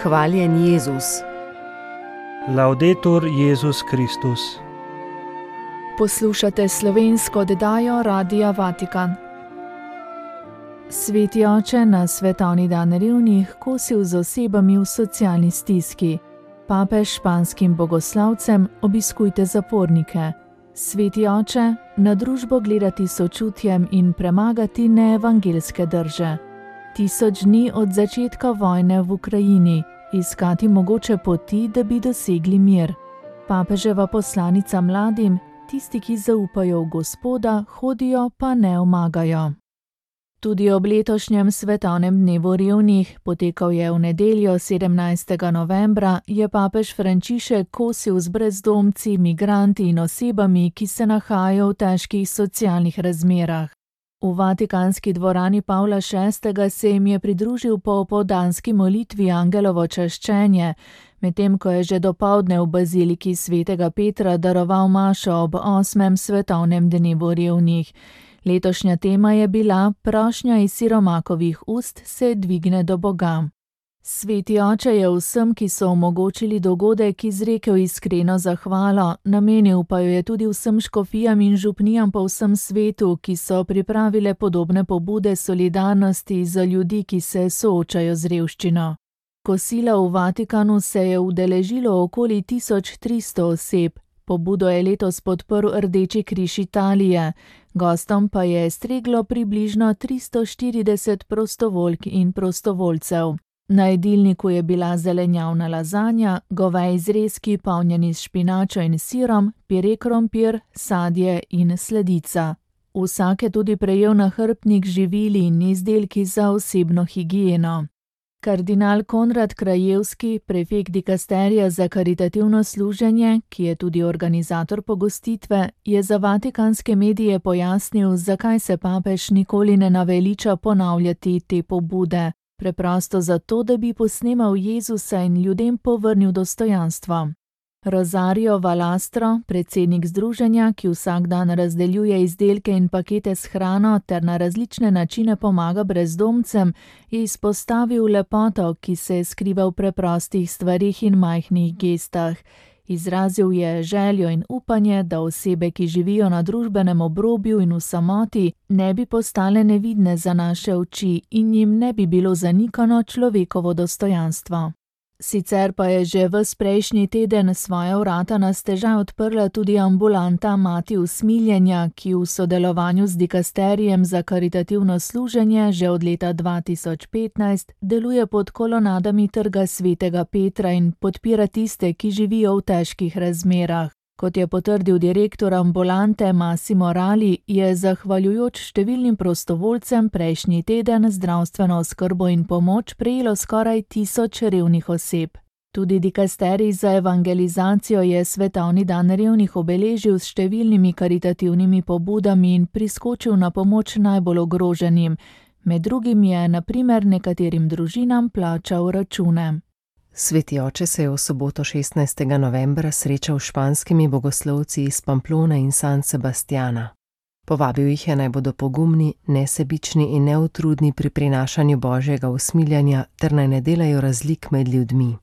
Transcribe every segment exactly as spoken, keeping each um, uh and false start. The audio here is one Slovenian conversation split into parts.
Hvaljen Jezus. Laudetur Jezus Kristus. Poslušate slovensko oddajo Radia Vatikan. Sveti oče na svetovni dan revnih kosil z osebami v socialni stiski. Papež španskim bogoslavcem: obiskujte zapornike. Sveti oče, na družbo gledati sočutjem in premagati neevangelske drže. Tisoč dni od začetka vojne v Ukrajini, iskati mogoče poti, da bi dosegli mir. Papeževa poslanica mladim: tisti, ki zaupajo v Gospoda, hodijo pa ne omagajo. Tudi ob letošnjem svetovnem dnevu revnih, potekal je v nedeljo sedemnajstega novembra, je papež Frančišek kosil z brezdomci, migranti in osebami, ki se nahajajo v težkih socialnih razmerah. V vatikanski dvorani Pavla šestega se jim je pridružil po opoldanski molitvi Angelovo čaščenje, medtem ko je že dopoldne v baziliki svetega Petra daroval mašo ob osmem svetovnem dnevu revnih. Letošnja tema je bila: prošnja iz siromakovih ust se dvigne do Boga. Sveti oče je vsem, ki so omogočili dogodek, izrekel iskreno zahvalo, namenil pa jo je tudi vsem škofijam in župnijam po vsem svetu, ki so pripravile podobne pobude solidarnosti za ljudi, ki se soočajo z revščino. Kosila v Vatikanu se je udeležilo okoli tisoč tristo oseb. Pobudo je letos podprl Rdeči križ Italije, gostom pa je streglo približno tristo štirideset prostovoljk in prostovoljcev. Na jedilniku je bila zelenjavna lazanja, goveji zrezki polnjeni s špinačo in sirom, pire krompir, sadje in sladica. Vsak je tudi prejel nahrbtnik z živili in izdelki za osebno higieno. Kardinal Konrad Krajevski, prefekt dikasterija za karitativno služenje, ki je tudi organizator pogostitve, je za vatikanske medije pojasnil, zakaj se papež nikoli ne naveliča ponavljati te pobude. Preprosto zato, da bi posnemal Jezusa in ljudem povrnil dostojanstvo. Rosario Valastro, predsednik združenja, ki vsak dan razdeljuje izdelke in pakete s hrano ter na različne načine pomaga brezdomcem, je izpostavil lepoto, ki se skriva v preprostih stvarih in majhnih gestah. Izrazil je željo in upanje, da osebe, ki živijo na družbenem obrobju in v samoti, ne bi postale nevidne za naše oči in jim ne bi bilo zanikano človekovo dostojanstvo. Sicer pa je že ves prejšnji teden svoja vrata na stežaj odprla tudi ambulanta Mati usmiljenja, ki v sodelovanju z dikasterijem za karitativno služenje že od leta dva tisoč petnajst deluje pod kolonadami trga svetega Petra in podpira tiste, ki živijo v težkih razmerah. Kot je potrdil direktor ambulante Massimo Rali, je zahvaljujoč številnim prostovoljcem prejšnji teden zdravstveno oskrbo in pomoč prejelo skoraj tisoč revnih oseb. Tudi dikasterij za evangelizacijo je svetovni dan revnih obeležil s številnimi karitativnimi pobudami in priskočil na pomoč najbolj ogroženim. Med drugim je na primer nekaterim družinam plačal račune. Sveti oče se je v soboto šestnajstega novembra srečal s španskimi bogoslovci iz Pamplone in San Sebastiana. Povabil jih je, naj bodo pogumni, nesebični in neutrudni pri prinašanju božjega usmiljanja ter naj ne delajo razlik med ljudmi.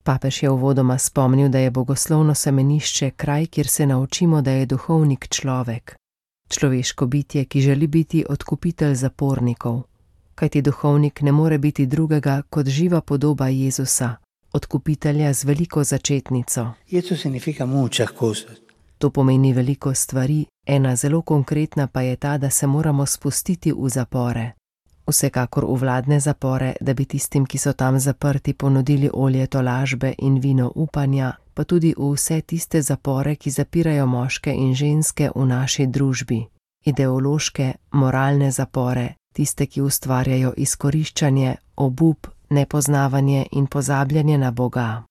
Papež je uvodoma spomnil, da je bogoslovno semenišče kraj, kjer se naučimo, da je duhovnik človek. Človeško bitje, ki želi biti odkupitelj zapornikov. Kajti duhovnik ne more biti drugega kot živa podoba Jezusa, odkupitelja z veliko začetnico. To pomeni veliko stvari, ena zelo konkretna pa je ta, da se moramo spustiti v zapore. Vsekakor v vladne zapore, da bi tistim, ki so tam zaprti, ponudili olje tolažbe in vino upanja, pa tudi v vse tiste zapore, ki zapirajo moške in ženske v naši družbi. Ideološke, moralne zapore, tiste, ki ustvarjajo izkoriščanje, obup, nepoznavanje in pozabljanje na Boga.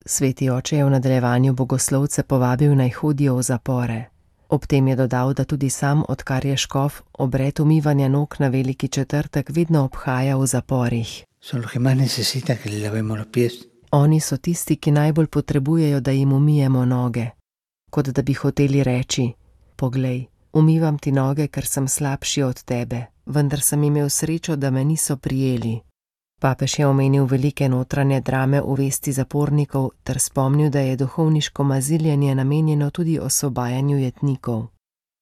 Sveti oče je v nadaljevanju bogoslovce povabil, naj hodijo v zapore. Ob tem je dodal, da tudi sam, odkar je škof, obred umivanja nog na veliki četrtek vedno obhaja v zaporih. Oni so tisti, ki najbolj potrebujejo, da jim umijemo noge. Kot da bi hoteli reči: poglej, umivam ti noge, ker sem slabši od tebe, vendar sem imel srečo, da me niso prijeli. Papež je omenil velike notranje drame v vesti zapornikov ter spomnil, da je duhovniško maziljenje namenjeno tudi osvobajanju jetnikov.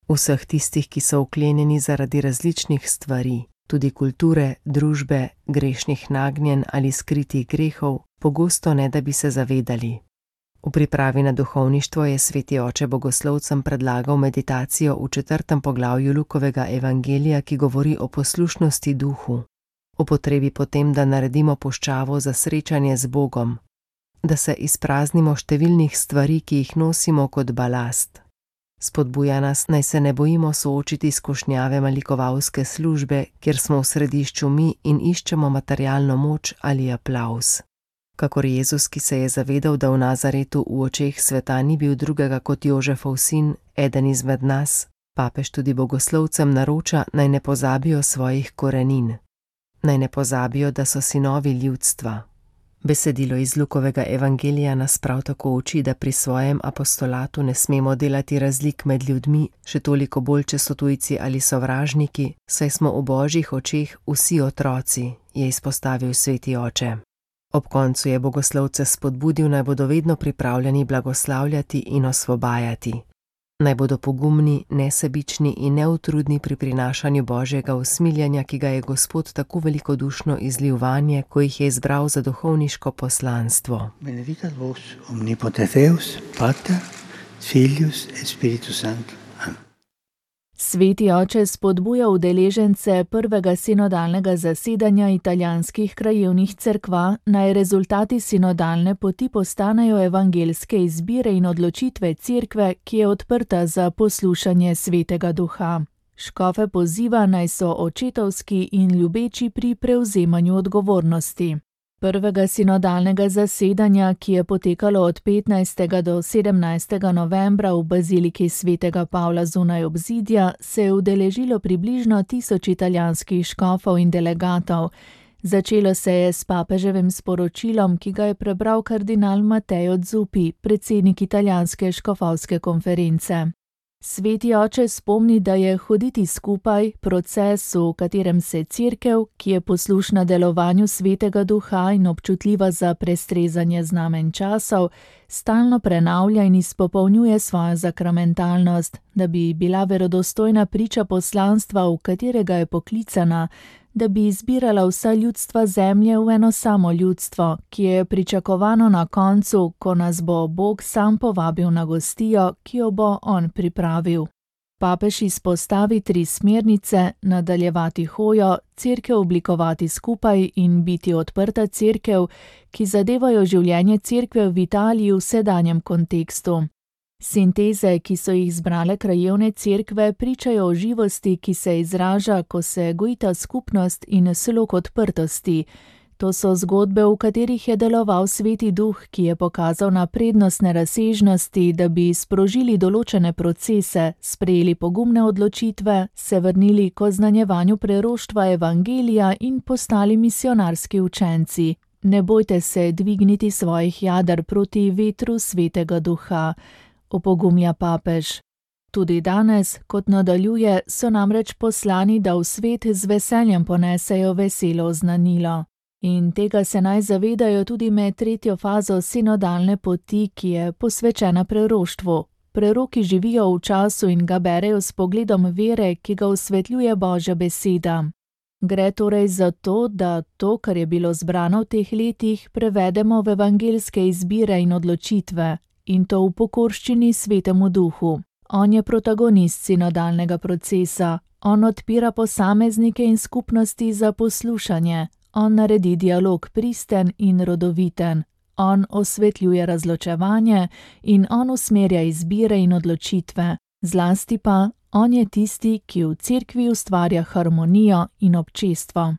Vseh tistih, ki so vklenjeni zaradi različnih stvari, tudi kulture, družbe, grešnih nagnjenj ali skritih grehov, pogosto ne da bi se zavedali. V pripravi na duhovništvo je sveti oče bogoslovcem predlagal meditacijo v četrtem poglavju Lukovega evangelija, ki govori o poslušnosti duhu, o potrebi potem, da naredimo puščavo za srečanje z Bogom, da se izpraznimo številnih stvari, ki jih nosimo kot balast. Spodbuja nas, naj se ne bojimo soočiti s skušnjave malikovalske službe, kjer smo v središču mi in iščemo materialno moč ali aplavz. Kakor Jezus, ki se je zavedal, da v Nazaretu v očeh sveta ni bil drugega kot Jožefov sin, eden izmed nas, papež tudi bogoslovcem naroča, naj ne pozabijo svojih korenin. Naj ne pozabijo, da so sinovi ljudstva. Besedilo iz Lukovega evangelija nas prav tako uči, da pri svojem apostolatu ne smemo delati razlik med ljudmi, še toliko bolj, če so tujci ali sovražniki, saj smo v Božjih očeh vsi otroci, je izpostavil sveti oče. Ob koncu je bogoslovce spodbudil, naj bodo vedno pripravljeni blagoslavljati in osvobajati. Naj bodo pogumni, nesebični in neutrudni pri prinašanju Božjega usmiljenja, ki ga je Gospod tako velikodušno izlil vanje, ko jih je izbral za duhovniško poslanstvo. Benedicat vos omnipotens Deus, Pater, Filius et Spiritus Sanctus. Sveti oče spodbuja udeležence prvega sinodalnega zasedanja italijanskih krajevnih cerkva, naj rezultati sinodalne poti postanejo evangelske izbire in odločitve cerkve, ki je odprta za poslušanje Svetega Duha. Škofe poziva, naj so očetovski in ljubeči pri prevzemanju odgovornosti. Prvega sinodalnega zasedanja, ki je potekalo od petnajstega do sedemnajstega novembra v baziliki svetega Pavla zunaj obzidja, se je udeležilo približno tisoč italijanskih škofov in delegatov. Začelo se je s papeževim sporočilom, ki ga je prebral kardinal Matteo Zuppi, predsednik italijanske škofovske konference. Sveti oče spomni, da je hoditi skupaj proces, v katerem se cerkev, ki je poslušna delovanju Svetega Duha in občutljiva za prestrezanje znamen časov, stalno prenavlja in izpopolnjuje svojo zakramentalnost, da bi bila verodostojna priča poslanstva, v katerega je poklicana, da bi izbirala vsa ljudstva zemlje v eno samo ljudstvo, ki je pričakovano na koncu, ko nas bo Bog sam povabil na gostijo, ki jo bo on pripravil. Papež izpostavi tri smernice: nadaljevati hojo, cerkev oblikovati skupaj in biti odprta cerkev, ki zadevajo življenje cerkve v Italiji v sedanjem kontekstu. Sinteze, ki so jih zbrale krajevne cerkve, pričajo o živosti, ki se izraža, ko se gojita skupnost in slog odprtosti. To so zgodbe, v katerih je deloval Sveti Duh, ki je pokazal na prednostne razsežnosti, da bi sprožili določene procese, sprejeli pogumne odločitve, se vrnili k oznanjevanju preroštva evangelija in postali misionarski učenci. Ne bojte se dvigniti svojih jader proti vetru Svetega Duha, opogumlja papež. Tudi danes, kot nadaljuje, so namreč poslani, da v svet z veseljem ponesejo veselo oznanilo. In tega se naj zavedajo tudi med tretjo fazo sinodalne poti, ki je posvečena preroštvu. Preroki živijo v času in ga berejo s pogledom vere, ki ga osvetljuje Božja beseda. Gre torej za to, da to, kar je bilo zbrano v teh letih, prevedemo v evangelske izbire in odločitve, in to v pokorščini Svetemu Duhu. On je protagonist sinodalnega procesa, on odpira posameznike in skupnosti za poslušanje, on naredi dialog pristen in rodoviten, on osvetljuje razločevanje in on usmerja izbire in odločitve, zlasti pa on je tisti, ki v cerkvi ustvarja harmonijo in občestvo.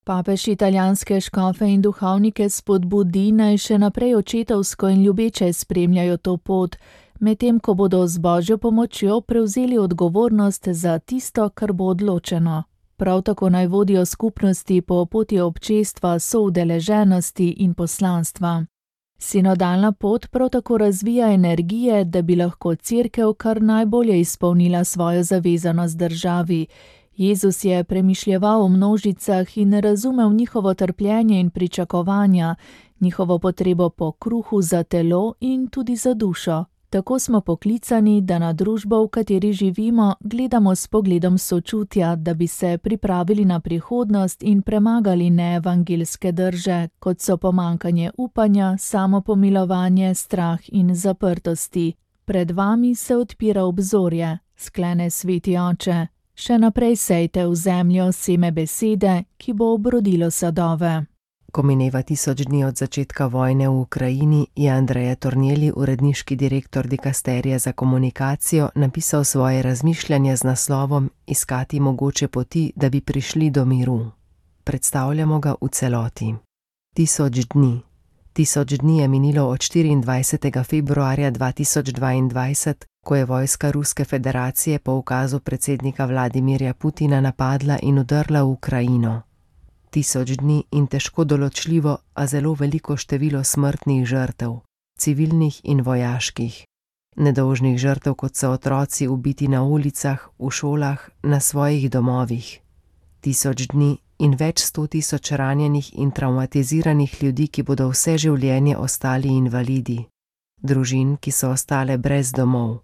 Papež italijanske škofe in duhovnike spodbudi, naj še naprej očetovsko in ljubeče spremljajo to pot, medtem ko bodo z Božjo pomočjo prevzeli odgovornost za tisto, kar bo odločeno. Prav tako naj vodijo skupnosti po poti občestva, soudeleženosti in poslanstva. Sinodalna pot prav tako razvija energije, da bi lahko cerkev kar najbolje izpolnila svojo zavezanost državi, Jezus je premišljeval o množicah in razumel njihovo trpljenje in pričakovanja, njihovo potrebo po kruhu za telo in tudi za dušo. Tako smo poklicani, da na družbo, v kateri živimo, gledamo s pogledom sočutja, da bi se pripravili na prihodnost in premagali neevangelske drže, kot so pomanjkanje upanja, samopomilovanje, strah in zaprtosti. Pred vami se odpira obzorje, sklene Sveti Oče. Še naprej sejte v zemljo seme besede, ki bo obrodilo sadove. Ko mineva tisoč dni od začetka vojne v Ukrajini, je Andrea Tornielli, uredniški direktor dikasterija za komunikacijo, napisal svoje razmišljanje z naslovom Iskati mogoče poti, da bi prišli do miru. Predstavljamo ga v celoti. Tisoč dni. Tisoč dni je minilo od štiriindvajsetega februarja dva tisoč dvaindvajset, ko je vojska Ruske federacije po ukazu predsednika Vladimirja Putina napadla in vdrla v Ukrajino. Tisoč dni in težko določljivo, a zelo veliko število smrtnih žrtev, civilnih in vojaških. Nedolžnih žrtev, kot so otroci ubiti na ulicah, v šolah, na svojih domovih. Tisoč dni in več sto tisoč ranjenih in travmatiziranih ljudi, ki bodo vse življenje ostali invalidi. Družin, ki so ostale brez domov.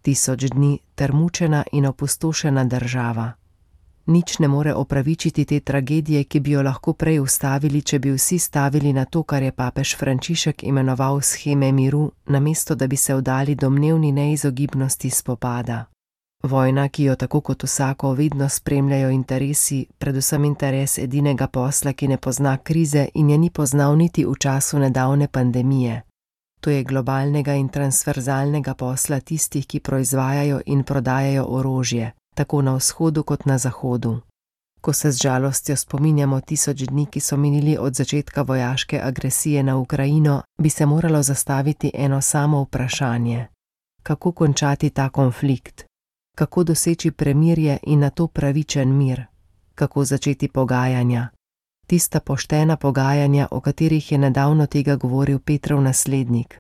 Tisoč dni ter mučena in opustošena država. Nič ne more opravičiti te tragedije, ki bi jo lahko prej ustavili, če bi vsi stavili na to, kar je papež Frančišek imenoval sheme miru, namesto da bi se vdali domnevni neizogibnosti spopada. Vojna, ki jo tako kot vsako vedno spremljajo interesi, predvsem interes edinega posla, ki ne pozna krize in je ni poznal niti v času nedavne pandemije. To je globalnega in transverzalnega posla tistih, ki proizvajajo in prodajajo orožje, tako na vzhodu kot na zahodu. Ko se z žalostjo spominjamo tisoč dni, ki so minili od začetka vojaške agresije na Ukrajino, bi se moralo zastaviti eno samo vprašanje. Kako končati ta konflikt? Kako doseči premirje in nato pravičen mir? Kako začeti pogajanja? Tista poštena pogajanja, o katerih je nedavno tega govoril Petrov naslednik,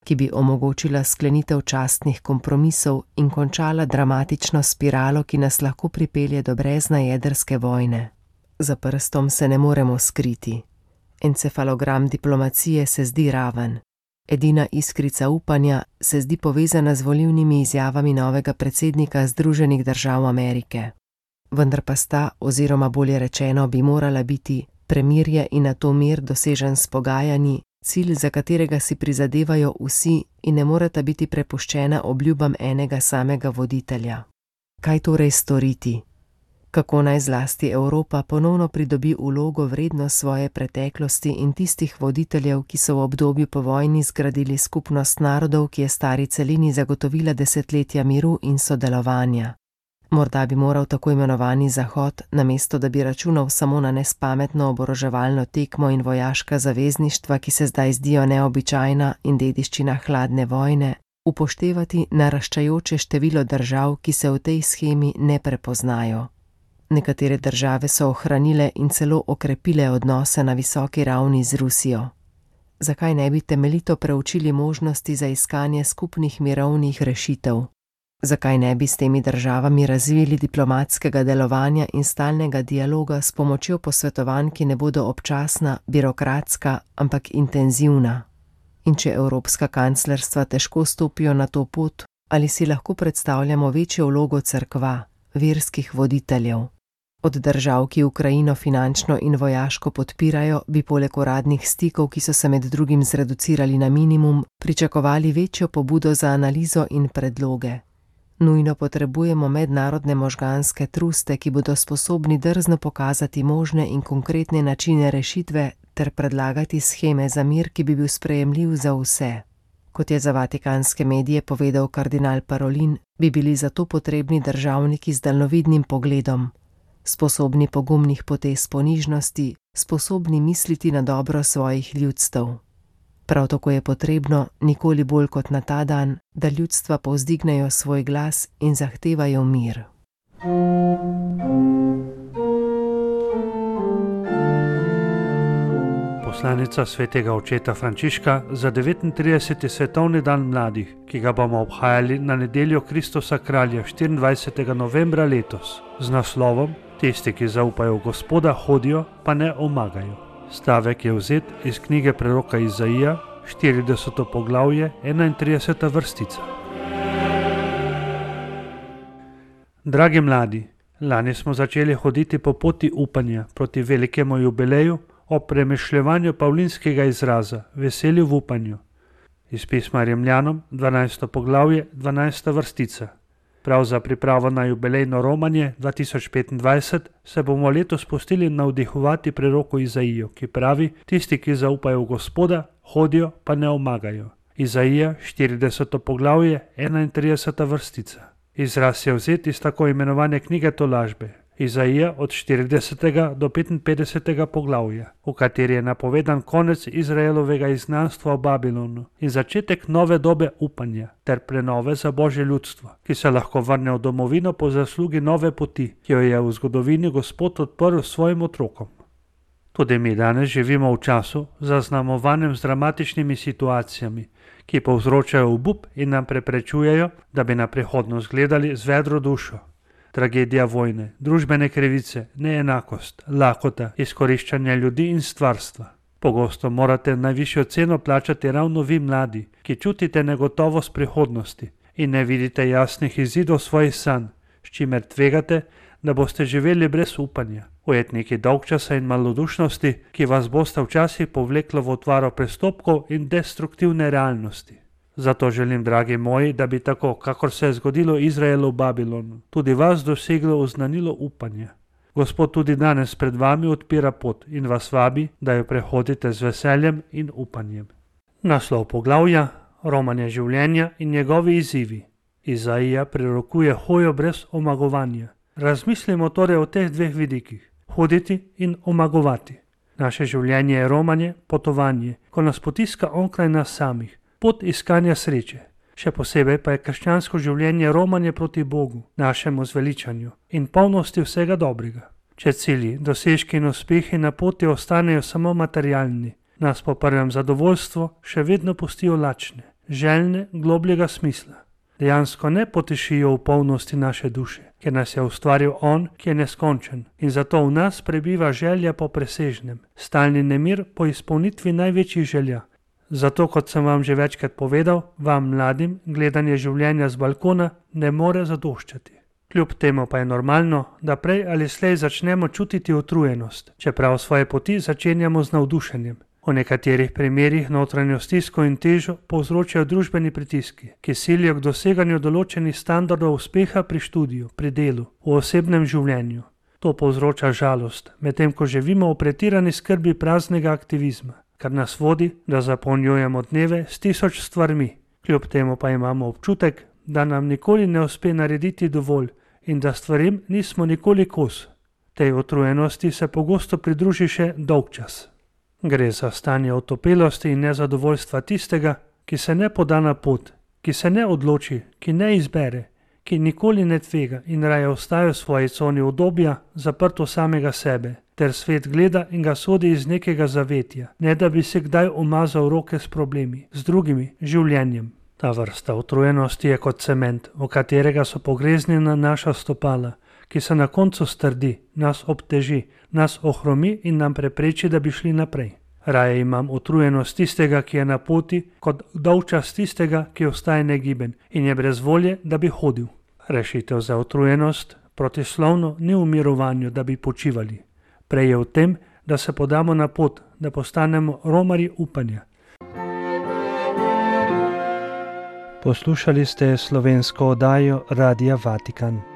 ki bi omogočila sklenitev častnih kompromisov in končala dramatično spiralo, ki nas lahko pripelje do brezna jedrske vojne. Za prstom se ne moremo skriti. Encefalogram diplomacije se zdi raven. Edina iskrica upanja se zdi povezana z volilnimi izjavami novega predsednika Združenih držav Amerike. Vendar pa sta, oziroma bolje rečeno, bi morala biti premirje in nato mir dosežen s pogajanji, cilj, za katerega si prizadevajo vsi in ne moreta biti prepuščena obljubam enega samega voditelja. Kaj torej storiti? Kako naj zlasti Evropa ponovno pridobi vlogo vredno svoje preteklosti in tistih voditeljev, ki so v obdobju po vojni zgradili skupnost narodov, ki je stari celini zagotovila desetletja miru in sodelovanja? Morda bi moral tako imenovani Zahod, namesto da bi računal samo na nespametno oboroževalno tekmo in vojaška zavezništva, ki se zdaj zdijo neobičajna in dediščina hladne vojne, upoštevati naraščajoče število držav, ki se v tej shemi ne prepoznajo. Nekatere države so ohranile in celo okrepile odnose na visoki ravni z Rusijo. Zakaj ne bi temeljito preučili možnosti za iskanje skupnih mirovnih rešitev? Zakaj ne bi s temi državami razvili diplomatskega delovanja in stalnega dialoga s pomočjo posvetovanj, ki ne bodo občasna, birokratska, ampak intenzivna? In če evropska kanclerstva težko stopijo na to pot, ali si lahko predstavljamo večjo vlogo cerkva, verskih voditeljev? Od držav, ki Ukrajino finančno in vojaško podpirajo, bi poleg uradnih stikov, ki so se med drugim zreducirali na minimum, pričakovali večjo pobudo za analizo in predloge. Nujno potrebujemo mednarodne možganske truste, ki bodo sposobni drzno pokazati možne in konkretne načine rešitve ter predlagati sheme za mir, ki bi bil sprejemljiv za vse. Kot je za vatikanske medije povedal kardinal Parolin, bi bili zato potrebni državniki z daljnovidnim pogledom, sposobni pogumnih potez ponižnosti, sposobni misliti na dobro svojih ljudstev. Prav tako je potrebno, nikoli bolj kot na ta dan, da ljudstva povzdignejo svoj glas in zahtevajo mir. poslanica svetega očeta Frančiška za devetintrideseti svetovni dan mladih, ki ga bomo obhajali na nedeljo Kristusa kralja štiriindvajsetega novembra letos, z naslovom Tisti, ki zaupajo v Gospoda, hodijo, pa ne omagajo. Stavek je vzet iz knjige preroka Izaija, štirideseto poglavje, enaintrideseta vrstica. Dragi mladi, lani smo začeli hoditi po poti upanja proti velikemu jubileju ob premišljevanju pavlinskega izraza veselju v upanju. Iz pisma Rimljanom, dvanajsto poglavje, dvanajsta vrstica. Prav za pripravo na jubilejno romanje dva tisoč petindvajset se bomo letos pustili navdihovati preroku Izaijo, ki pravi: tisti, ki zaupajo v Gospoda, hodijo, pa ne omagajo. Izaija, štirideseto poglavje, enaintrideseta vrstica. Izraz je vzet iz tako imenovane knjige tolažbe, Izaija od štiridesetega do petinpetdesetega poglavja, v kateri je napovedan konec Izraelovega izgnanstva v Babilonu in začetek nove dobe upanja ter prenove za Božje ljudstvo, ki se lahko vrne v domovino po zaslugi nove poti, ki jo je v zgodovini Gospod odprl svojim otrokom. Tudi mi danes živimo v času, zaznamovanem z dramatičnimi situacijami, ki povzročajo obup in nam preprečujejo, da bi na prihodnost gledali z vedro dušo. Tragedija vojne, družbene krivice, neenakost, lakota, izkoriščanje ljudi in stvarstva. Pogosto morate najvišjo ceno plačati ravno vi mladi, ki čutite negotovost prihodnosti in ne vidite jasnih izidov svojih sanj, s čimer tvegate, da boste živeli brez upanja, ujetniki dolgčasa in malodušnosti, ki vas boste včasih povleklo v otvaro prestopkov in destruktivne realnosti. Zato želim, dragi moji, da bi tako, kakor se je zgodilo Izraelu v Babilonu, tudi vas doseglo oznanilo upanja. Gospod tudi danes pred vami odpira pot in vas vabi, da jo prehodite z veseljem in upanjem. Naslov poglavja: romanje življenja in njegovi izzivi. Izaija prerokuje hojo brez omagovanja. Razmislimo torej o teh dveh vidikih: hoditi in omagovati. Naše življenje je romanje, potovanje, ko nas potiska onkraj nas samih, pot iskanja sreče. Še posebej pa je krščansko življenje romanje proti Bogu, našemu zveličanju in polnosti vsega dobrega. Če cilji, dosežki in uspehi na poti ostanejo samo materialni, nas po prvem zadovoljstvu še vedno pustijo lačne, željne globljega smisla. Dejansko ne potešijo v polnosti naše duše, ker nas je ustvaril On, ki je neskončen, in zato v nas prebiva želja po presežnem, stalni nemir po izpolnitvi največjih želja. Zato, kot sem vam že večkrat povedal, vam mladim gledanje življenja z balkona ne more zadoščati. Kljub temu pa je normalno, da prej ali slej začnemo čutiti utrujenost, čeprav svoje poti začenjamo z navdušenjem. V nekaterih primerih notranjo stisko in težo povzročajo družbeni pritiski, ki silijo k doseganju določenih standardov uspeha pri študiju, pri delu, v osebnem življenju. To povzroča žalost, medtem ko živimo v pretirani skrbi praznega aktivizma, kar nas vodi, da zapolnjujemo dneve s tisoč stvarmi. Kljub temu pa imamo občutek, da nam nikoli ne uspe narediti dovolj in da stvarim nismo nikoli kos. Tej utrujenosti se pogosto pridruži še dolgčas. Gre za stanje otopelosti in nezadovoljstva tistega, ki se ne poda na pot, ki se ne odloči, ki ne izbere, ki nikoli ne tvega in raje ostaja v svoji coni udobja, zaprto samega sebe, ter svet gleda in ga sodi iz nekega zavetja, ne da bi se kdaj umazal roke s problemi, z drugimi, življenjem. Ta vrsta utrujenosti je kot cement, v katerega so pogreznjena naša stopala, ki se na koncu strdi, nas obteži, nas ohromi in nam prepreči, da bi šli naprej. Raje imam utrujenost tistega, ki je na poti, kot dolgčas tistega, ki ostaje negiben in je brez volje, da bi hodil. Rešitev za utrujenost protislovno ni v mirovanju, da bi počivali. Prej je v tem, da se podamo na pot, da postanemo romarji upanja. Poslušali ste slovensko oddajo Radia Vatikan.